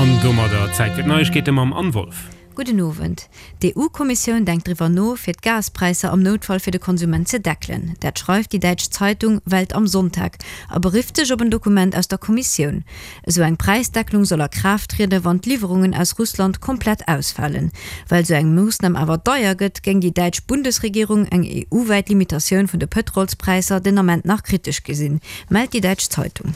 An domadder Zäit fir d'Neiegkeete mam Anne Wolff. Gudden Owend. D'EU-Kommissioun denkt driwwer no, fir d'Gaspräisser am Noutfall fir de Konsument ze deckelen. Dat schreift déi däitsch Zeitung Welt am Sonntag a berifft sech op en Dokument aus der Kommissioun. Esou eng Präisdecklung soll a Kraaft trieden, wann d'Liwwerungen aus Russland komplett ausfalen. Well esou eng Moossnam awer deier gëtt, géing déi däitsch Bundesregierung eng EU-wäit Limitatioun vun de Pëtrolspräisser den Ament nach kritesch gesinn, mellt déi däitsch Zeitung.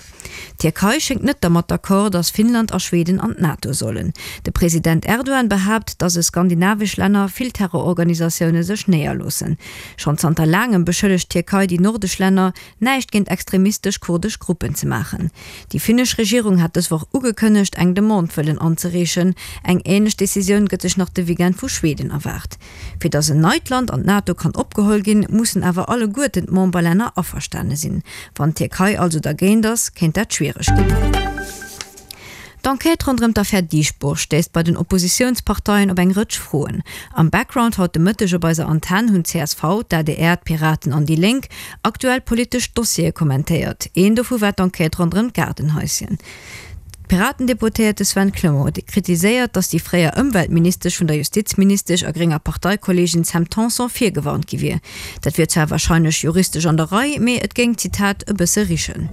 D'Tierkei schéngt net dermat d'accord, datt Finnland a Schweden an d'NATO sollen. De President Erdogan behaapt, datt e skandinavesch Länner vill Terrororganisatioune sech néierloossen. Schonn zanter laangem beschëllegt d'Tierkei déi nordesch Länner, näischt géint extremistesch kurdesch Gruppen ze maachen. Déi finnesch Regierung hat dës Woch ugekënnegt, eng Demande wëllen anzereechen. Eng änlech Decisioun gëtt sech nach de Weekend vu Schweden erwaart. Fir datt en neit Land an d'NATO kann opgeholl ginn, mussen awer alleguerten d'Memberlänner averstane sinn. Wann d'Tierkei also dergéint ass, kéint dat schwiereg ginn. D'Enquête ronderëm d'Affär Dieschbourg stéisst bei den Oppositiounsparteien op eng Rëtsch Froen. Am Background haut de Mëtteg op eiser Antenn hunn csv, d'ADR, d'Piraten an déi Lénk aktuell politesch Dossiere kommentéiert. Een dovu war d'Enquête ronderëm d'Gaardenhaischen. D'Piraten-Deputéierte Sven Clement huet kritiséiert, datt déi fréier Ëmweltministesch vun der Justizministesch a grénger Parteikolleegin Sam Tanson virgewarnt gi wier. Dat wier zwar warscheinlech juristesch an der Rei, mee et géing, Zitat, e bësse richen.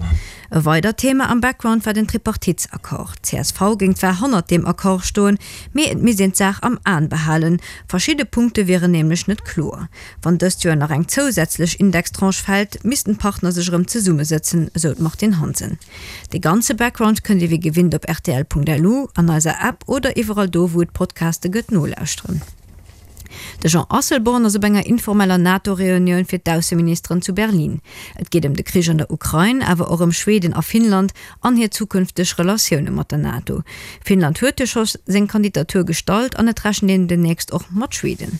E weidert Thema am Background war den Tripartitsaccord. D'CSV géing zwar hannert deem Accord stoen, mee et misst een d'Saach am Aen behalen, verschidde Punkte wieren nämlech net kloer. Wann dëst Joer nach eng zousätzlech Indextranche fält, missten d'Partner sech erëm zesummesëtzen, esou d'Martine Hansen. De ganze Background kënnt dir wéi gewinnt op rtl.lu, an eiser App oder iwwerall do wou et Podcaste gëtt nolauschteren. De Jean Asselborn ass op enger informeller NATO-Reunioun fir d'Ausseministeren zu Berlin. Et geet ëm de Krich an der Ukrain, awer och ëm Schweden a Finnland an hir zukünfteg Relatioune mat der NATO. Finnland huet jo scho seng Kandidatur gestallt an et rechent een demnächst och mat Schweden.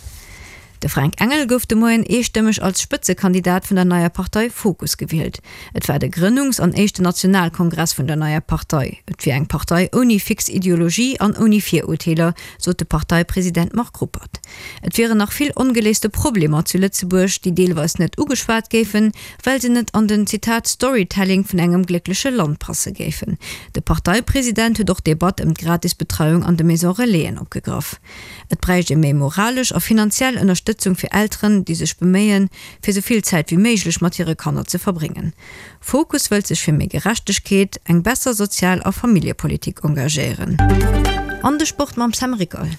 De Fränk Engel gouf de Moien eestëmmeg als Spëtzekandidat vun der neier Partei Fokus gewielt. Et war de Grënnungs an éischten Nationalkongress vun der neier Partei. Et wier eng Partei ouni fix Ideologie an ouni Virurteeler, sot de Parteipresident Marc Ruppert. Et wieren nach vill ongeléiste Problemer zu Lëtzebuerg, déi deelweis net ugeschwat géifen, well se net an den, Zitat, Storytelling vun engem gléckleche Land passe géifen. De Parteipresident huet och d'Debatt ëm d'Gratisbetreiung an de Maison Relaisen opgegraff. Et bräicht ee méi moralesch a finanziell Ënnerstëtzung fir Elteren, déi sech beméien, fir sou vill Zäit wéi méiglech mat hire Kanner ze verbréngen. Fokus wëllt sech fir méi Gerechtegkeet, eng besser Sozial a Familljepolitik engagéieren. An de Sport mam Sam Ricol.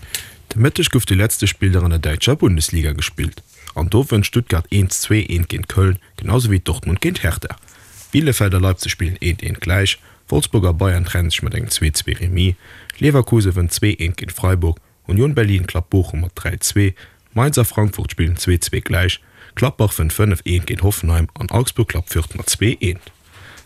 De Mëtteg gouf de letzte Spilldag an der däitscher Bundesliga gespillt. An do wënnt Stuttgart 1, 2, 1 géint Köln, genau sou wéi Dortmund géint Hertha. Bielefeld a Leipzig spillen 1, 1 gläich, Wolfsburg a Bayern trenne sech mat engem 2, 2 Remis, Leverkusen wënnt 2, 1 géint Freiburg, Union Berlin klappt Bochum mat 3, 2, Mainz a Frankfurt spillen 2, 2 gläich, Gladbach wënnt 5, 1 géint Hoffenheim an Augsburg klappt Fürth mat 2, 1.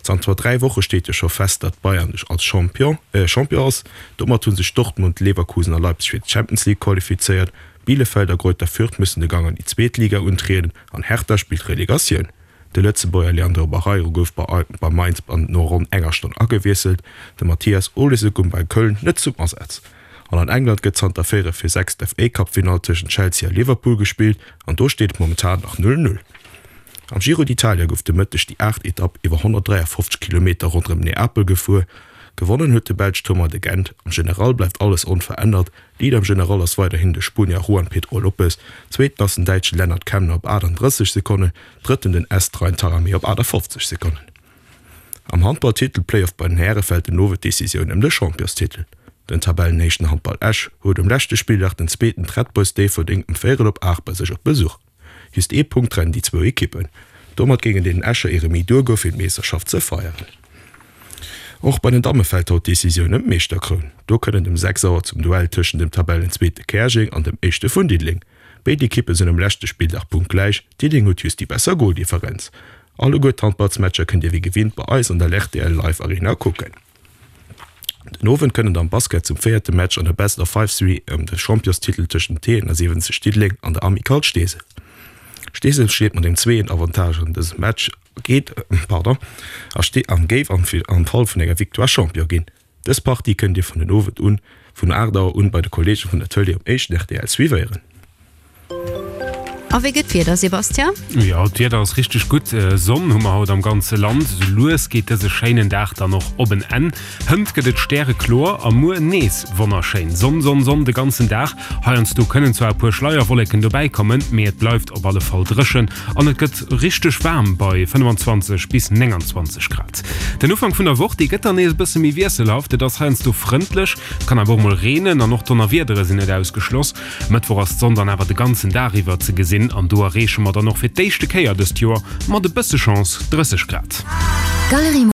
Zanter 3 Woche steet jo scho fest, datt Bayern als Champion Champion ass. Domat hu sech Dortmund, Leverkusen a Leipzig fir d'Champions League qualifizéiert. Bielefeld a Greuther Fürth müssen de Gang an déi zweet Liga untrieden an Hertha spillt Relegatioun. De Lëtzebuerger Leandro Barreiro gouf bei Mainz no ronn enger Stonn agewiesselt, de Mathias Olesen koum bei Köln net zum Asaz. An an England gëtt zanter véierel vir 6 d'FA-Cup-Finall tëschent Chelsea a Liverpool gespillt an do steet et momentan nach 0, 0. Am Giro d'Italia gouf de Mëtteg déi aacht Etapp iwwer 153 Kilometer ronderëm Neapel gefuer. Gewonnen huet de Belsch Thomas de Gendt. Am General bleift alles onverännert, Leader am General ass weiderhin de Spuenier Juan Pedro Lopez, Zweeten ass den Däitsche Lennard Kemna op 38 Sekonnen, Drëtten den Est Rein Taaramäe op 58 Sekonnen. Am Handball-Titel-Playoff bei den Häre fält den Owend d'Decisioun ëm de Championstitel. Den Tabellenéischten Handball Esch huet um leschte Spilldag den Zweeten d'Red Boys Déifferdeng um véierel op 8 bei sech op Besuch. Just ee Punkt trennen déi zwou Ekippen. Domat géingen deenen Escher ee Remis duergoe fir d'Meeschterschaft ze feieren. Och bei den Damme fält haut d'Decisioun ëm d'Meeschterkroun. Do kënnt et um 6 Auer zum Duell tëschent dem Tabellenzweete Käerjeng an dem Éischte vun Diddeleng. Béid Ekippe sinn um leschte Spilldag punktgläich, Diddeleng huet just déi besser Goldifferenz. Alleguer d'Handballsmatcher kënnt Dir wéi gewinnt bei eis an der rtl Live Arena kucken. Den Owend kënnt et am Basket zum véierte Match an der Best of Five Serie ëm de Championstitel tëscht dem T71 Diddeleng an der Amicale Steesel. Steesel steet mat engem zweeën Avantage an dësem Match geet pardon a ste an géif am am Fall vun enger Victoire Champion ginn. Dës Partie kënnt Dir vun den Owend un vun 8 Auer un bei de Kolleege vun der Tëlee um éischten rtl suivéieren. A wéi gëtt d'Wieder, Sébastien? Jo, d'Wieder ass richteg gutt. Sonn hu mer haut am ganze Land. Sou lues geet dëse schéinen Dag dann och op en Enn. Hënt gëtt et stärekloer a muer nees wonnerschéin. Sonn, Sonn, Sonn de ganzen Dag. Heiansdo kënnen zwar e puer Schleierwolleken dobäi kommen, mee et bleift op alle Fall dréchen an et gëtt richteg waarm bei 25 bis 29 Grad. Den Ufank vun der Woch, dee gëtt dann nees e bësse méi wiesselhaft. Et ass heiansdo frëndlech, et kann awer och mol reenen an och Donnerwiedere sinn net ausgeschloss. Mëttwoch ass d'Sonn dann awer de ganzen Dag iwwer ze gesinn an do erreeche mer dann och fir d'éischte Kéier dëst Joer mat e bësse Chance 30 Grad.